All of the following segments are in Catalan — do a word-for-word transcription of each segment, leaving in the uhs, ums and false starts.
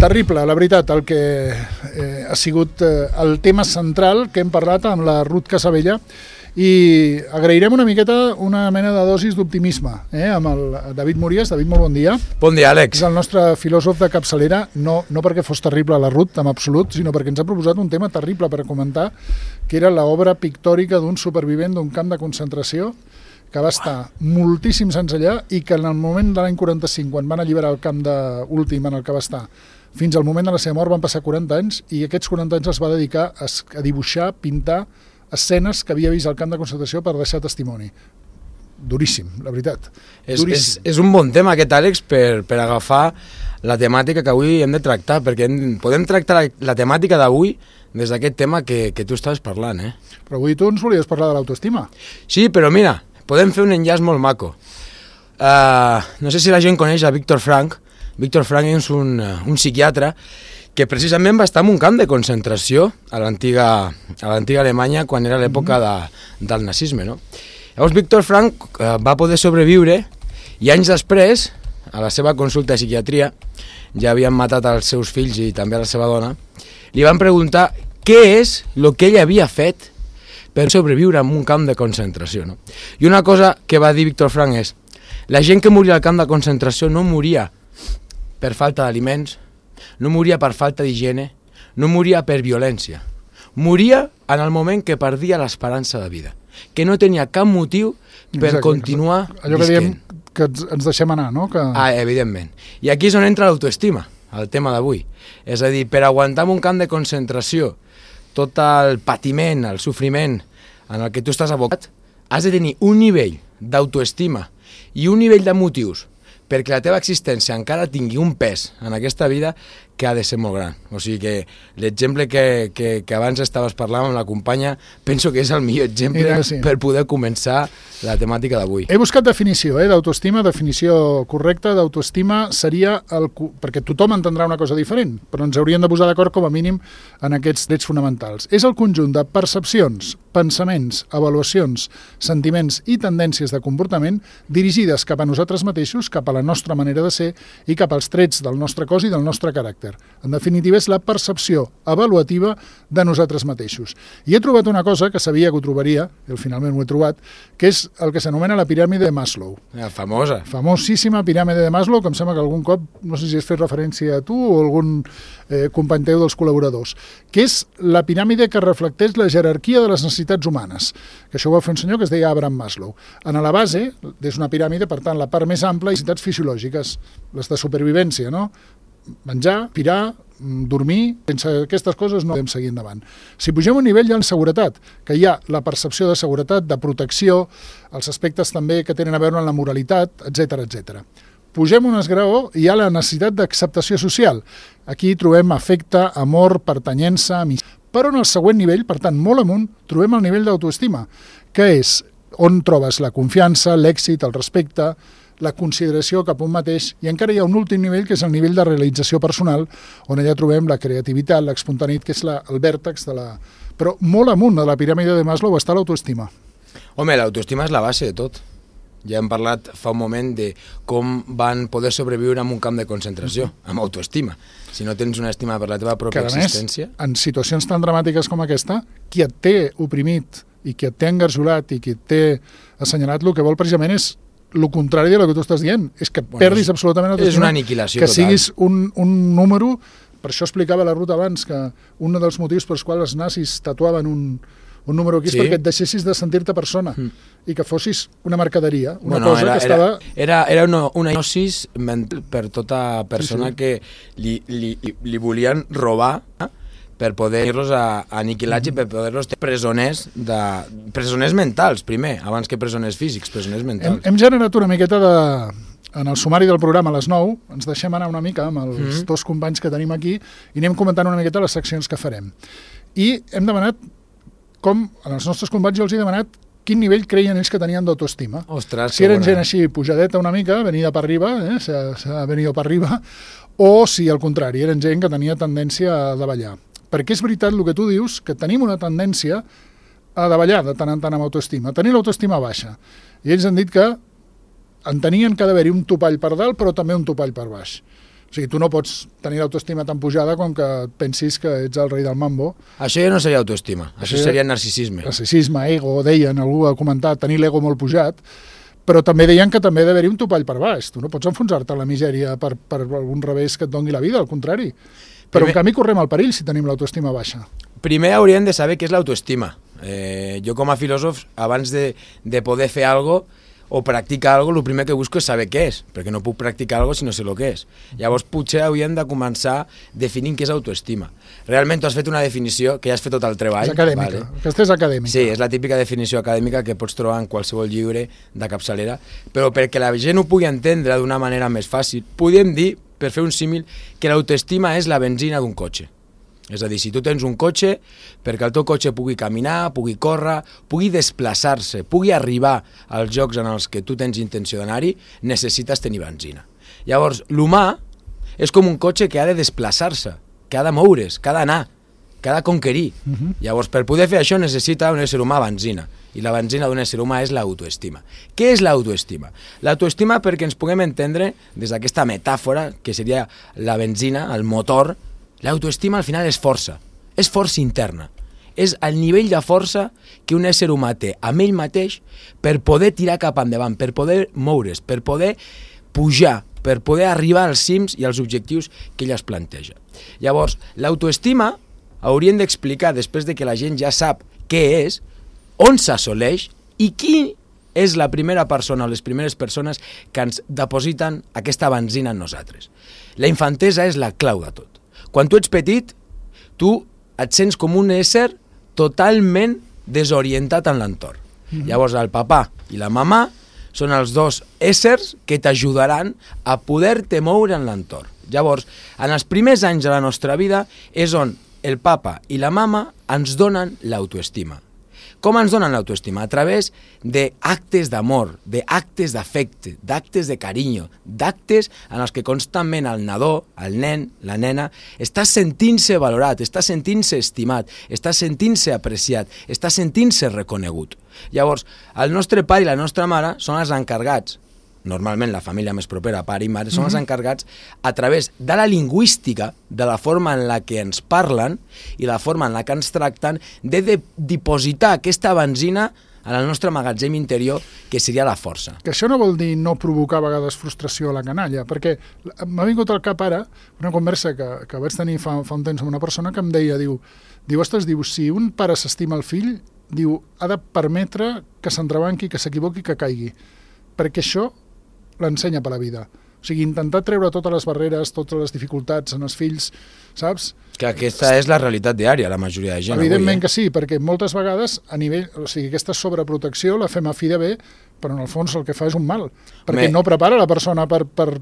Terrible, la veritat, el que eh, ha sigut eh, el tema central que hem parlat amb la Ruth Casabella, i agrairem una miqueta una mena de dosis d'optimisme eh, amb el David Mories. David, molt bon dia. Bon dia, Àlex. És el nostre filòsof de capçalera, no, no perquè fos terrible la Ruth, en absolut, sinó perquè ens ha proposat un tema terrible per comentar, que era l'obra pictòrica d'un supervivent d'un camp de concentració que va estar moltíssims anys allà i que en el moment de l'any quaranta-cinc, quan van alliberar el camp de últim en el que va estar, fins al moment de la seva mort van passar quaranta anys, i aquests quaranta anys els va dedicar a, a dibuixar, pintar escenes que havia vist al camp de concentració per deixar testimoni. Duríssim, la veritat. És, és, és un bon tema aquest, Àlex, per, per agafar la temàtica que avui hem de tractar, perquè hem, podem tractar la, la temàtica d'avui des d'aquest tema que, que tu estaves parlant. Eh? Però avui tu ens volies parlar de l'autoestima. Sí, però mira, podem fer un enllaç molt maco. Uh, no sé si la gent coneix a Víctor Frank. Víctor Frank és un, un psiquiatre que precisament va estar en un camp de concentració a l'antiga a l'antiga Alemanya quan era l'època de, del nazisme, no? Llavors Víctor Frank eh, va poder sobreviure i anys després, a la seva consulta de psiquiatria, ja havien matat els seus fills i també a la seva dona, li van preguntar què és el que ell havia fet per sobreviure en un camp de concentració, no? I una cosa que va dir Víctor Frank és: la gent que moria al camp de concentració no moria per falta d'aliments, no moria per falta d'higiene, no moria per violència. Moria en el moment que perdia l'esperança de vida, que no tenia cap motiu per exacte, continuar exacte. Allò que diem que ens deixem anar, no? Que... Ah, evidentment. I aquí és on entra l'autoestima, el tema d'avui. És a dir, per aguantar en un camp de concentració tot el patiment, el sofriment en el que tu estàs abocat, has de tenir un nivell d'autoestima i un nivell de motius perquè la teva existència encara tingui un pes en aquesta vida que ha de ser molt gran. O sigui que l'exemple que, que, que abans estaves parlant amb la companya penso que és el millor exemple Mira, sí. per poder començar la temàtica d'avui. He buscat definició eh, d'autoestima, definició correcta d'autoestima seria, el, perquè tothom entendrà una cosa diferent, però ens hauríem de posar d'acord com a mínim en aquests drets fonamentals. És el conjunt de percepcions, pensaments, avaluacions, sentiments i tendències de comportament dirigides cap a nosaltres mateixos, cap a la nostra manera de ser i cap als trets del nostre cos i del nostre caràcter. En definitiva, és la percepció avaluativa de nosaltres mateixos. I he trobat una cosa que sabia que ho trobaria, i finalment ho he trobat, que és el que s'anomena la piràmide de Maslow. La famosa. Famosíssima piràmide de Maslow, que em sembla que algun cop, no sé si has fet referència a tu o algun eh, company teu dels col·laboradors, que és la piràmide que reflecteix la jerarquia de les necessitats humanes, que això ho va fer un senyor que es deia Abraham Maslow. En la base, és una piràmide, per tant, la part més ampla, necessitats fisiològiques, les de supervivència, no? Menjar, pirar, dormir, sense aquestes coses no podem seguir endavant. Si pugem un nivell hi ha la seguretat, que hi ha la percepció de seguretat, de protecció, els aspectes també que tenen a veure amb la moralitat, etcètera, etcètera. Pugem un esgraó i hi ha la necessitat d'acceptació social. Aquí trobem afecte, amor, pertanyença, amistat. Però en el següent nivell, per tant, molt amunt, trobem el nivell d'autoestima, que és on trobes la confiança, l'èxit, el respecte, la consideració cap a un mateix, i encara hi ha un últim nivell que és el nivell de realització personal, on allà trobem la creativitat, l'espontaneïtat, que és la, el vèrtex de la... Però molt amunt de la piràmide de Maslow està l'autoestima. Home, l'autoestima és la base de tot. Ja hem parlat fa un moment de com van poder sobreviure en un camp de concentració, amb autoestima. Si no tens una estima per la teva pròpia existència... Que a més, en situacions tan dramàtiques com aquesta, qui et té oprimit i qui et té engarjolat i qui et té assenyalat, el que vol precisament és el contrari de lo que tu estàs dient, és que bueno, perdis absolutament l'autoestima. És una aniquilació que total. siguis un, un número, per això explicava la Ruth abans, que un dels motius pels quals els nazis tatuaven un, un número aquí sí. és perquè et deixessis de sentir-te persona mm. i que fossis una mercaderia, una bueno, cosa era, que estava... Era, era una, una hipnosis mental per tota persona sí, sí. que li, li, li volien robar eh? per poder-los aniquilats mm. i per poder-los ter presoners, de, presoners mentals, primer, abans que presoners físics, presoners mentals. Hem, hem generat una miqueta de... En el sumari del programa a les nou, ens deixem anar una mica amb els mm. dos companys que tenim aquí i anem comentant una miqueta les seccions que farem. I hem demanat, com en els nostres companys jo els he demanat, quin nivell creien ells que tenien d'autoestima. Ostres, si eren gent així pujadeta una mica, venida per arriba, eh? s'ha venit per arriba, o si al contrari, eren gent que tenia tendència a davallar. Perquè és veritat el que tu dius, que tenim una tendència a davallar de tant en tant amb autoestima, a tenir l'autoestima baixa. I ells han dit que entenien que ha d'haver-hi un topall per dalt, però també un topall per baix. O sigui, tu no pots tenir l'autoestima tan pujada com que pensis que ets el rei del mambo. Això ja no seria autoestima, això, això seria narcisisme. Narcisisme, ego, deien, algú ha comentat, tenir l'ego molt pujat, però també deien que també ha d'haver-hi un topall per baix. Tu no pots enfonsar-te a la misèria per, per algun revés que et doni la vida, al contrari. Però Primer... en canvi correm el perill si tenim l'autoestima baixa. Primer hauríem de saber què és l'autoestima. Eh, jo com a filòsof, abans de, de poder fer alguna cosa, o practicar alguna cosa, el primer que busco és saber què és, perquè no puc practicar alguna cosa si no sé el que és. Llavors potser hauríem de començar definint què és autoestima. Realment tu has fet una definició, que ja has fet tot el treball. És acadèmica, vale? Aquesta és acadèmica. Sí, és la típica definició acadèmica que pots trobar en qualsevol llibre de capçalera, però perquè la gent ho pugui entendre d'una manera més fàcil, podem dir, per fer un símil, que l'autoestima és la benzina d'un cotxe. És a dir, si tu tens un cotxe, perquè el teu cotxe pugui caminar, pugui córrer, pugui desplaçar-se, pugui arribar als llocs en els que tu tens intenció d'anar-hi, necessites tenir benzina. Llavors, l'humà és com un cotxe que ha de desplaçar-se, que ha de moure's, que ha d'anar, que ha de conquerir. Uh-huh. Llavors, per poder fer això necessita un ésser humà benzina, i la benzina d'un ésser humà és l'autoestima. Què és l'autoestima? L'autoestima, perquè ens puguem entendre, des d'aquesta metàfora, que seria la benzina, el motor, l'autoestima al final és força, és força interna, és el nivell de força que un ésser humà té amb ell mateix per poder tirar cap endavant, per poder moure's, per poder pujar, per poder arribar als cims i als objectius que ell es planteja. Llavors, l'autoestima hauríem d'explicar, després de que la gent ja sap què és, on s'assoleix i qui és la primera persona o les primeres persones que ens depositen aquesta benzina en nosaltres. La infantesa és la clau de tot. Quan tu ets petit, tu et sents com un ésser totalment desorientat en l'entorn. Mm-hmm. Llavors el papà i la mamà són els dos éssers que t'ajudaran a poder-te moure en l'entorn. Llavors, en els primers anys de la nostra vida és on el papa i la mama ens donen l'autoestima. Com ens donen l'autoestima? A través d'actes d'amor, d'actes d'afecte, d'actes de carinyo, d'actes en els que constantment el nadó, el nen, la nena, està sentint-se valorat, està sentint-se estimat, està sentint-se apreciat, està sentint-se reconegut. Llavors, el nostre pare i la nostra mare són els encarregats, normalment la família més propera, pare i mare, són els encarregats a través de la lingüística, de la forma en la que ens parlen i la forma en la que ens tracten, de, de dipositar aquesta benzina en el nostre magatzem interior, que seria la força. Que això no vol dir no provocar a vegades frustració a la canalla, perquè m'ha vingut al cap ara una conversa que, que vaig tenir fa, fa un temps amb una persona que em deia, diu, diu, ostres, diu, si un pare s'estima el fill, diu, ha de permetre que s'entrebanqui, que s'equivoqui, que caigui, perquè això l'ensenya per la vida. O sigui, intentar treure totes les barreres, totes les dificultats en els fills, saps? Que aquesta és la realitat diària, la majoria de gent. Evidentment avui, eh? que sí, perquè moltes vegades a nivell, o sigui, aquesta sobreprotecció la fem a fi de bé, però en el fons el que fa és un mal, perquè Me... no prepara la persona per, per,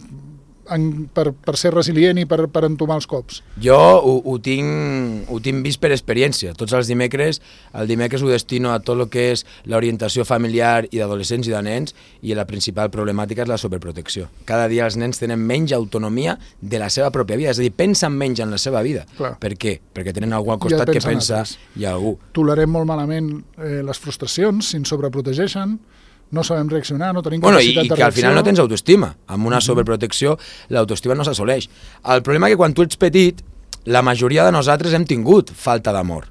en, per, per ser resilient i per, per entomar els cops. Jo ho, ho, tinc, ho tinc vist per experiència. Tots els dimecres, el dimecres ho destino a tot el que és l'orientació familiar i d'adolescents i de nens, i la principal problemàtica és la sobreprotecció. Cada dia els nens tenen menys autonomia de la seva pròpia vida, és a dir, pensen menys en la seva vida. Clar. Per què? Perquè tenen algú al costat que pensa i algú. Tolerem molt malament eh, les frustracions, si ens sobreprotegeixen, no sabem reaccionar, no tenim bueno, capacitat i, i de reacció. I que al final no tens autoestima. Amb una sobreprotecció l'autoestima no s'assoleix. El problema és que quan tu ets petit, la majoria de nosaltres hem tingut falta d'amor.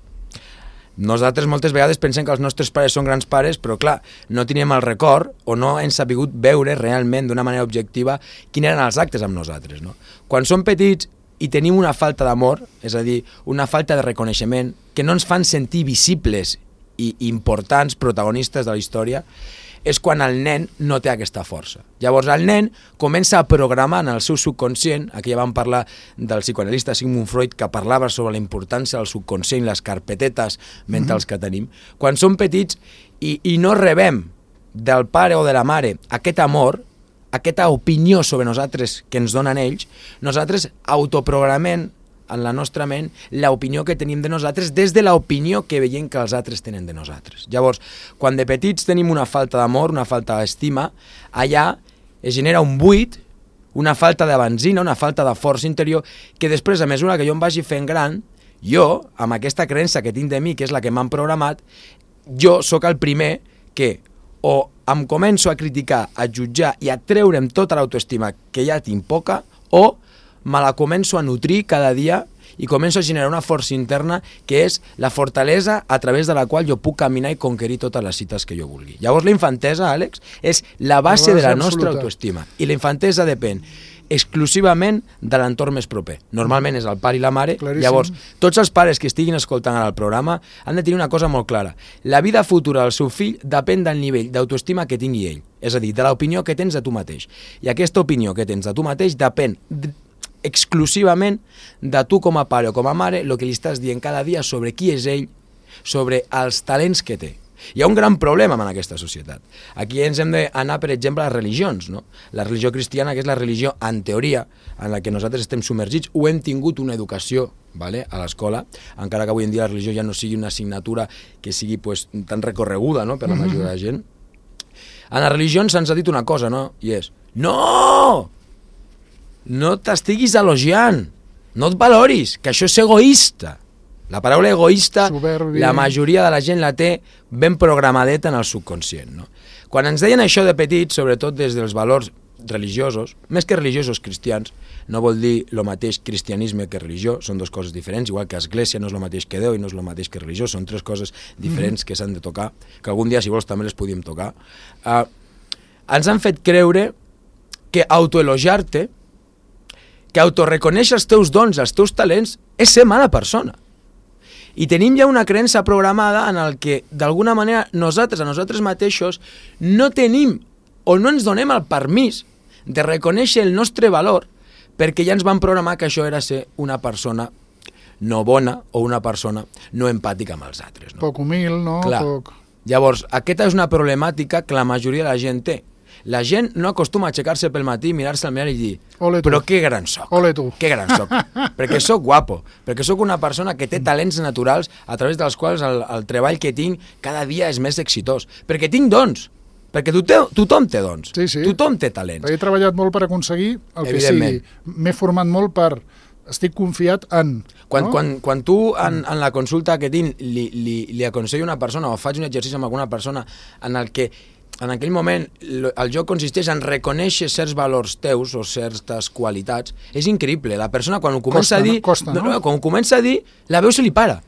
Nosaltres moltes vegades pensem que els nostres pares són grans pares, però clar, no teníem el record o no hem sabut veure realment d'una manera objectiva quins eren els actes amb nosaltres. No? Quan som petits i tenim una falta d'amor, és a dir, una falta de reconeixement, que no ens fan sentir visibles i importants protagonistes de la història, és quan el nen no té aquesta força. Llavors el nen comença a programar en el seu subconscient, aquí ja vam parlar del psicoanalista Sigmund Freud, que parlava sobre la importància del subconscient, les carpetetes mentals mm-hmm. que tenim. Quan som petits i, i no rebem del pare o de la mare aquest amor, aquesta opinió sobre nosaltres que ens donen ells, nosaltres autoprogramem en la nostra ment l'opinió que tenim de nosaltres des de l'opinió que veiem que els altres tenen de nosaltres. Llavors, quan de petits tenim una falta d'amor, una falta d'estima, allà es genera un buit, una falta de benzina, una falta de força interior, que després, a mesura que jo em vagi fent gran, jo, amb aquesta creença que tinc de mi, que és la que m'han programat, jo sóc el primer que o em començo a criticar, a jutjar i a treure'm tota l'autoestima que ja tinc poca, o me la començo a nutrir cada dia i començo a generar una força interna que és la fortalesa a través de la qual jo puc caminar i conquerir totes les cites que jo vulgui. Llavors la infantesa, Àlex, és la base, la base de la nostra absoluta. Autoestima. I la infantesa depèn exclusivament de l'entorn més proper. Normalment és el pare i la mare. Claríssim. Llavors, tots els pares que estiguin escoltant ara el programa han de tenir una cosa molt clara. La vida futura del seu fill depèn del nivell d'autoestima que tingui ell. És a dir, de l'opinió que tens de tu mateix. I aquesta opinió que tens de tu mateix depèn exclusivament de tu com a pare o com a mare, el que li estàs dient cada dia sobre qui és ell, sobre els talents que té. Hi ha un gran problema en aquesta societat. Aquí ens hem d'anar, per exemple, a les religions. No? La religió cristiana, que és la religió, en teoria, en la que nosaltres estem submergits, ho hem tingut una educació, vale, a l'escola, encara que avui en dia la religió ja no sigui una assignatura que sigui pues, tan recorreguda, no?, per la majoria de la gent. En les religions se'ns ha dit una cosa, no?, i és no! No t'estiguis elogiant, no et valoris, que això és egoista. La paraula egoista, Soberbi. La majoria de la gent la té ben programadeta en el subconscient. No? Quan ens deien això de petits, sobretot des dels valors religiosos, més que religiosos cristians, no vol dir el mateix cristianisme que religió, són dues coses diferents, igual que església no és el mateix que Déu i no és el mateix que religió, són tres coses diferents que s'han de tocar, que algun dia, si vols, també les podíem tocar. Uh, ens han fet creure que autoelogiar-te, que autorreconèixer els teus dons, els teus talents, és ser mala persona. I tenim ja una creença programada en el que, d'alguna manera, nosaltres, a nosaltres mateixos, no tenim o no ens donem el permís de reconèixer el nostre valor perquè ja ens van programar que això era ser una persona no bona o una persona no empàtica amb els altres. No? Poc humil, no? Clar. Poc... Llavors, aquesta és una problemàtica que la majoria de la gent té. La gent no acostuma a aixecar-se pel matí, mirar-se al mirall i dir però que gran soc, Ole tu. que gran soc, perquè soc guapo, perquè soc una persona que té talents naturals a través dels quals el, el treball que tinc cada dia és més exitós, perquè tinc dons, perquè tothom, tothom té dons, sí, sí. tothom té talents. He treballat molt per aconseguir el que sigui, m'he format molt per... Estic confiat en... Quan, no? quan, quan tu en, en la consulta que tinc li, li, li aconsello a una persona o faig un exercici amb alguna persona en el que en aquell moment el joc consisteix en reconèixer certs valors teus o certes qualitats, és increïble. La persona quan ho comença costa, a dir, no? Costa, no? No, quan ho comença a dir, la veu se li para.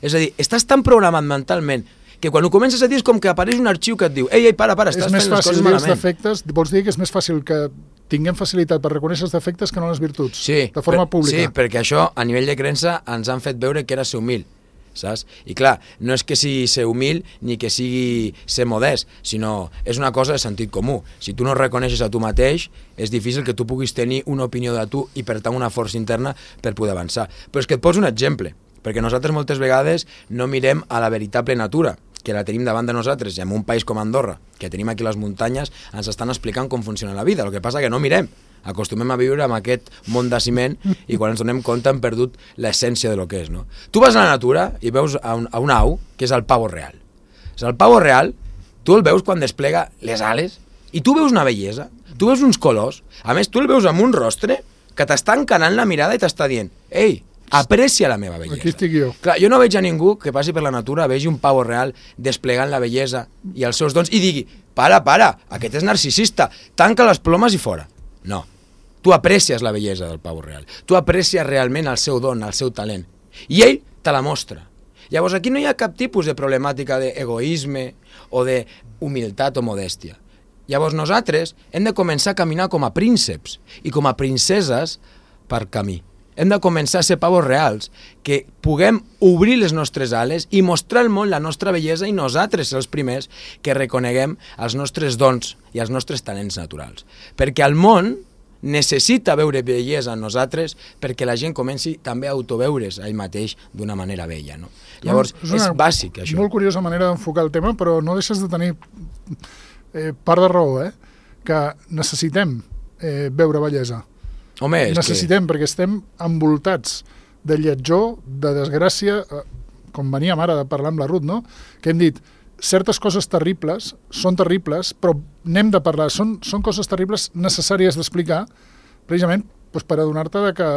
És a dir, estàs tan programat mentalment que quan ho comences a dir és com que apareix un arxiu que et diu ei, ei, para, para, estàs fent les coses malament. És més fàcil dir els defectes, vols dir que és més fàcil que tinguem facilitat per reconèixer els defectes que no les virtuts, sí, de forma per, pública. Sí, perquè això, a nivell de creença, ens han fet veure que era ser humil. Saps? I clar, no és que sigui ser humil ni que sigui ser modest, sinó és una cosa de sentit comú. Si tu no reconeixes a tu mateix, és difícil que tu puguis tenir una opinió de tu i per tant una força interna per poder avançar. Però és que et poso un exemple, perquè nosaltres moltes vegades no mirem a la veritable natura, que la tenim davant de nosaltres, i en un país com Andorra, que tenim aquí les muntanyes, ens estan explicant com funciona la vida, el que passa que no mirem. Acostumem a viure amb aquest món de ciment i quan ens donem compte hem perdut l'essència de lo que és. No? Tu vas a la natura i veus a un, a un au, que és el pavo real. És el pavo real, tu el veus quan desplega les ales i tu veus una bellesa, tu veus uns colors, a més tu el veus amb un rostre que t'està encanant la mirada i t'està dient ei, aprecia la meva bellesa. Aquí estic jo. Clar, jo no veig a ningú que passi per la natura, vegi un pavo real desplegant la bellesa i els seus dons i digui para, para, aquest és narcisista, tanca les plomes i fora. No. Tu aprecies la bellesa del pavo real. Tu aprecies realment el seu don, el seu talent. I ell te la mostra. Llavors aquí no hi ha cap tipus de problemàtica d'egoisme o d'humilitat o modèstia. Llavors nosaltres hem de començar a caminar com a prínceps i com a princeses per camí. Hem de començar a ser pavos reals, que puguem obrir les nostres ales i mostrar al món la nostra bellesa i nosaltres ser els primers que reconeguem els nostres dons i els nostres talents naturals. Perquè el món necessita veure bellesa en nosaltres perquè la gent comenci també a autoveure's a ell mateix d'una manera bella. No? Llavors, no, és, és bàsic, això. Molt curiosa manera d'enfocar el tema, però no deixes de tenir eh, part de raó, eh? Que necessitem eh, veure bellesa. Home, és necessitem, que... perquè estem envoltats de lletjor, de desgràcia, eh, com veníem ara de parlar amb la Ruth, no? Que hem dit, certes coses terribles són terribles, però n'hem de parlar. Són, són coses terribles necessàries d'explicar, precisament doncs, per adonar-te de que,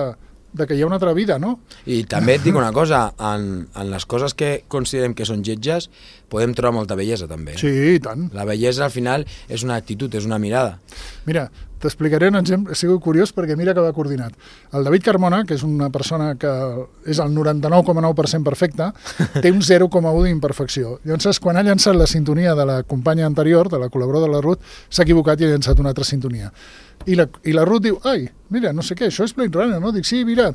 de que hi ha una altra vida, no? I també et dic una cosa, en, en les coses que considerem que són lletges, podem trobar molta bellesa també. Sí, i tant. La bellesa al final és una actitud, és una mirada. Mira, t'explicaré un exemple, he sigut curiós perquè mira que va coordinat. El David Carmona, que és una persona que és el noranta-nou coma nou per cent perfecte, té un zero coma u d'imperfecció. Llavors, quan ha llançat la sintonia de la companya anterior, de la col·laboradora de la Ruth, s'ha equivocat i ha llançat una altra sintonia. I la, i la Ruth diu, ai, mira, no sé què, això és Blade Runner, no? Dic, sí, mira,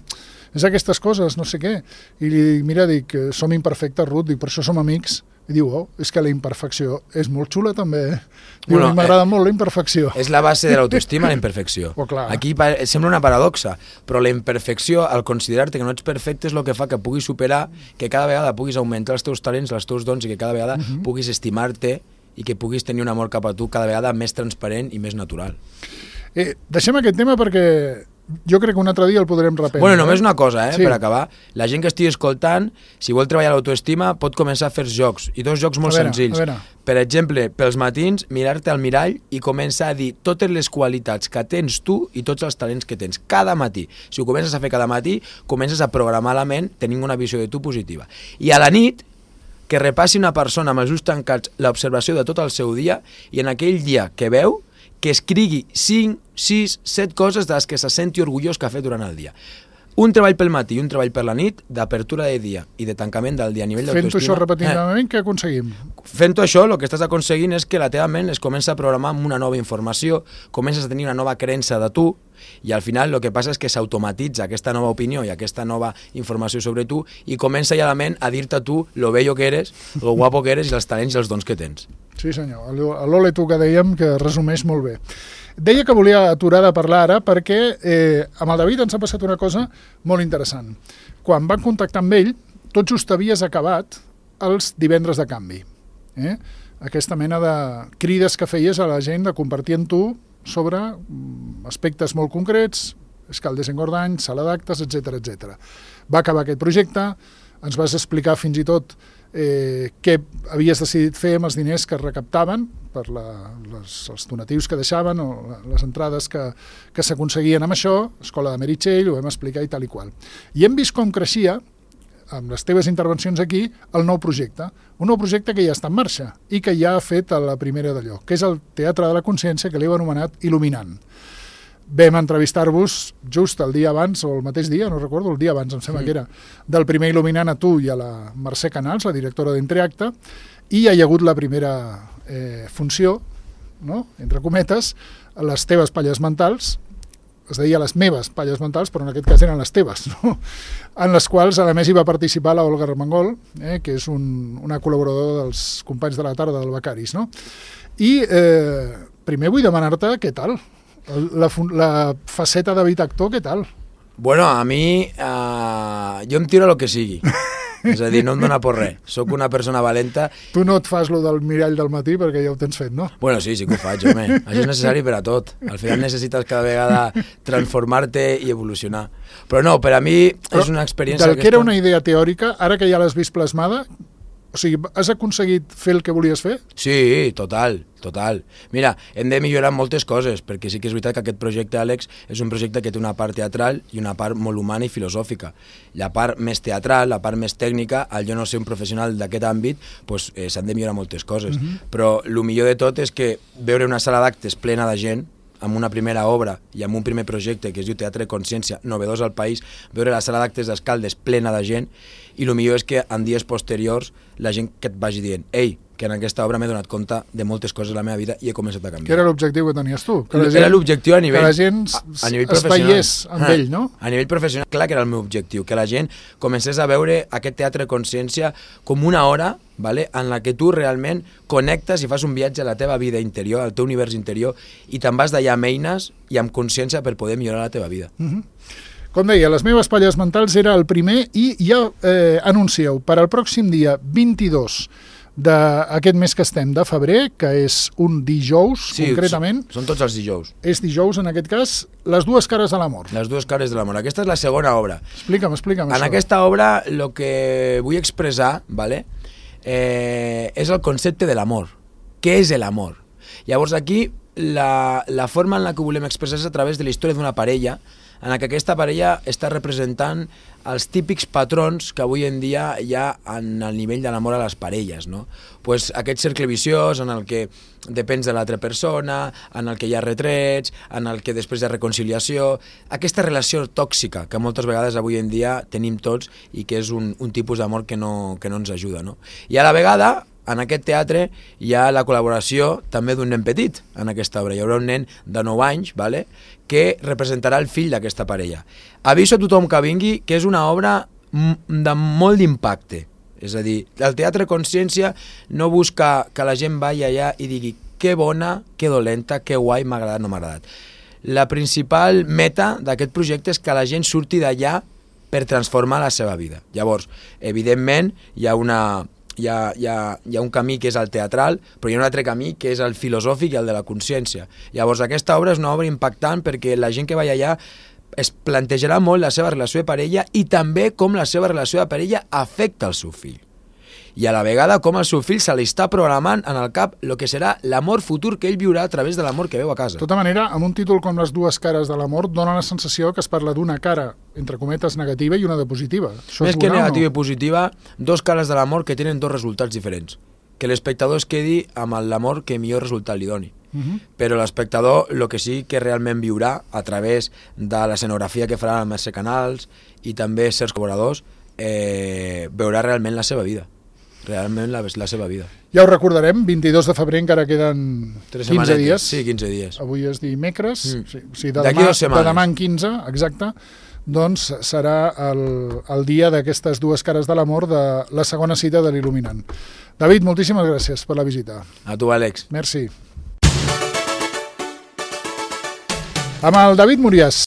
és aquestes coses, no sé què. I li dic, mira, dic, som imperfectes, Ruth, dic, per això som amics. I diu, oh, és que la imperfecció és molt xula també, eh? Diu, bueno, m'agrada eh, molt la imperfecció. És la base de l'autoestima, la imperfecció. Oh, clar. Aquí sembla una paradoxa, però la imperfecció, al considerar-te que no ets perfecte, és el que fa que puguis superar, que cada vegada puguis augmentar els teus talents, els teus dons, i que cada vegada uh -huh. puguis estimar-te i que puguis tenir un amor cap a tu cada vegada més transparent i més natural. Eh, deixem aquest tema perquè jo crec que un altre dia el podrem reprendre. Bueno, només una cosa, eh, sí. per acabar. La gent que estigui escoltant, si vol treballar l'autoestima, pot començar a fer jocs, i dos jocs molt a veure, senzills. a veure. Per exemple, pels matins, mirar-te al mirall i començar a dir totes les qualitats que tens tu i tots els talents que tens, cada matí. Si ho comences a fer cada matí, comences a programar la ment tenint una visió de tu positiva. I a la nit, que repassi una persona amb els ulls tancats l'observació de tot el seu dia, i en aquell dia que veu, que escrigui cinc, sis, set coses de les que se senti orgullós que ha fet durant el dia. Un treball pel matí i un treball per la nit, d'apertura de dia i de tancament del dia a nivell d'autoestima. Fent-ho això repetidament, eh. què aconseguim? Fent-ho això, el que estàs aconseguint és que la teva ment es comença a programar amb una nova informació, comences a tenir una nova creença de tu, i al final el que passa és que s'automatitza aquesta nova opinió i aquesta nova informació sobre tu, i comença ja la ment a dir-te a tu lo bello que eres, lo guapo que eres i els talents i els dons que tens. Sí senyor, l'Ole tu que dèiem que resumeix molt bé. Deia que volia aturar de parlar ara perquè eh, amb el David ens ha passat una cosa molt interessant. Quan van contactar amb ell, tot just havies acabat els divendres de canvi. Eh? Aquesta mena de crides que feies a la gent de compartir amb tu sobre aspectes molt concrets, escaldes engordany, sala d'actes, etcètera, etcètera. Va acabar aquest projecte, ens vas explicar fins i tot eh, què havies decidit fer amb els diners que es recaptaven per la, les, els donatius que deixaven o les entrades que, que s'aconseguien amb això, Escola de Meritxell, ho vam explicar i tal i qual. I hem vist com creixia, amb les teves intervencions aquí, el nou projecte. Un nou projecte que ja està en marxa i que ja ha fet a la primera d'allò, que és el Teatre de la Consciència, que l'heu anomenat Il·luminant. Vam entrevistar-vos just el dia abans, o el mateix dia, no recordo, el dia abans, em sembla sí. que era, del primer Il·luminant a tu i a la Mercè Canals, la directora d'Entreacte, i hi ha hagut la primera eh, funció, no? entre cometes, les teves palles mentals, es deia les meves palles mentals, però en aquest cas eren les teves, no? En les quals a més hi va participar la Olga Armengol, eh, que és un, una col·laboradora dels companys de la tarda del Becaris. No? I eh, primer vull demanar-te què tal, la, la faceta de David actor, què tal? Bueno, a mi, uh, jo em tiro a lo que sigui. És a dir, no em dóna por res. Soc una persona valenta. Tu no et fas lo del mirall del matí perquè ja ho tens fet, no? Bueno, sí, sí que ho faig, home. Això és necessari per a tot. Al final necessites cada vegada transformar-te i evolucionar. Però no, per a mi Però és una experiència... Del que era una idea teòrica, ara que ja l'has vist plasmada, o sigui, has aconseguit fer el que volies fer? Sí, total, total. Mira, hem de millorar moltes coses, perquè sí que és veritat que aquest projecte, Àlex, és un projecte que té una part teatral i una part molt humana i filosòfica. La part més teatral, la part més tècnica, al jo no ser un professional d'aquest àmbit, doncs, eh, s'han de millorar moltes coses. Uh-huh. Però el millor de tot és que veure una sala d'actes plena de gent, amb una primera obra i amb un primer projecte que es diu Teatre Consciència, novedós al país, veure la sala d'actes d'Escaldes plena de gent, i el millor és que en dies posteriors la gent que et vagi dient ei, que en aquesta obra m'he donat compte de moltes coses de la meva vida i he començat a canviar. Que era l'objectiu que tenies tu? Que la gent, era l'objectiu a nivell... Que la gent a, a nivell es veiés amb ah, ell, no? A nivell professional, clar que era el meu objectiu, que la gent comencés a veure aquest Teatre Consciència com una hora, vale, en la que tu realment connectes i fas un viatge a la teva vida interior, al teu univers interior, i te'n vas d'allà amb eines i amb consciència per poder millorar la teva vida. Uh-huh. Com deia, les meves palles mentals era el primer i ja eh, anuncieu per al pròxim dia vint-i-dos d'aquest mes que estem de febrer, que és un dijous, sí, concretament. Són tots els dijous. És dijous, en aquest cas, Les dues cares de l'amor. Les dues cares de l'amor. Aquesta és la segona obra. Explica'm, explica'm en això. En aquesta obra, el que vull expressar, vale, eh, és el concepte de l'amor. Què és l'amor? Llavors aquí, la, la forma en la que volem expressar és a través de la història d'una parella en què aquesta parella està representant els típics patrons que avui en dia hi ha en el nivell de l'amor a les parelles, no? Pues aquest cercle viciós en el que depens de l'altra persona, en el que hi ha retrets, en el que després hi ha reconciliació, aquesta relació tòxica que moltes vegades avui en dia tenim tots i que és un, un tipus d'amor que no, que no ens ajuda, no? I a la vegada, en aquest teatre hi ha la col·laboració també d'un nen petit en aquesta obra. Hi haurà un nen de nou anys, vale? Que representarà el fill d'aquesta parella. Aviso a tothom que vingui que és una obra de molt d'impacte. És a dir, el teatre consciència no busca que la gent vagi allà i digui que bona, que dolenta, que guai, m'ha agradat, no m'ha agradat. La principal meta d'aquest projecte és que la gent surti d'allà per transformar la seva vida. Llavors, evidentment, hi ha una... Hi ha, hi, ha, hi ha un camí que és el teatral, però hi ha un altre camí que és el filosòfic i el de la consciència. Llavors aquesta obra és una obra impactant perquè la gent que va allà es plantejarà molt la seva relació de parella i també com la seva relació de parella afecta el seu fill. I a la vegada com el seu fill se li està programant en el cap el que serà l'amor futur que ell viurà a través de l'amor que veu a casa. De tota manera, amb un títol com Les dues cares de l'amor, dona la sensació que es parla d'una cara, entre cometes, negativa i una de positiva. Això Més que negativa no? i positiva, dos cares de l'amor que tenen dos resultats diferents. Que l'espectador es quedi amb l'amor que millor resultat li doni. Uh-huh. Però l'espectador el que sí que realment viurà a través de l'escenografia que farà amb els canals i també certs col·laboradors, eh, veurà realment la seva vida. Realment la, la seva vida. Ja ho recordarem, vint-i-dos de febrer encara queden quinze dies. Sí, quinze dies. Avui és dimecres, mm. sí, sí, de, demà, de demà en quinze, exacte, doncs serà el, el dia d'aquestes dues cares de l'amor de la segona cita de l'Il·luminant. David, moltíssimes gràcies per la visita. A tu, Àlex. Merci. Amb el David Murias.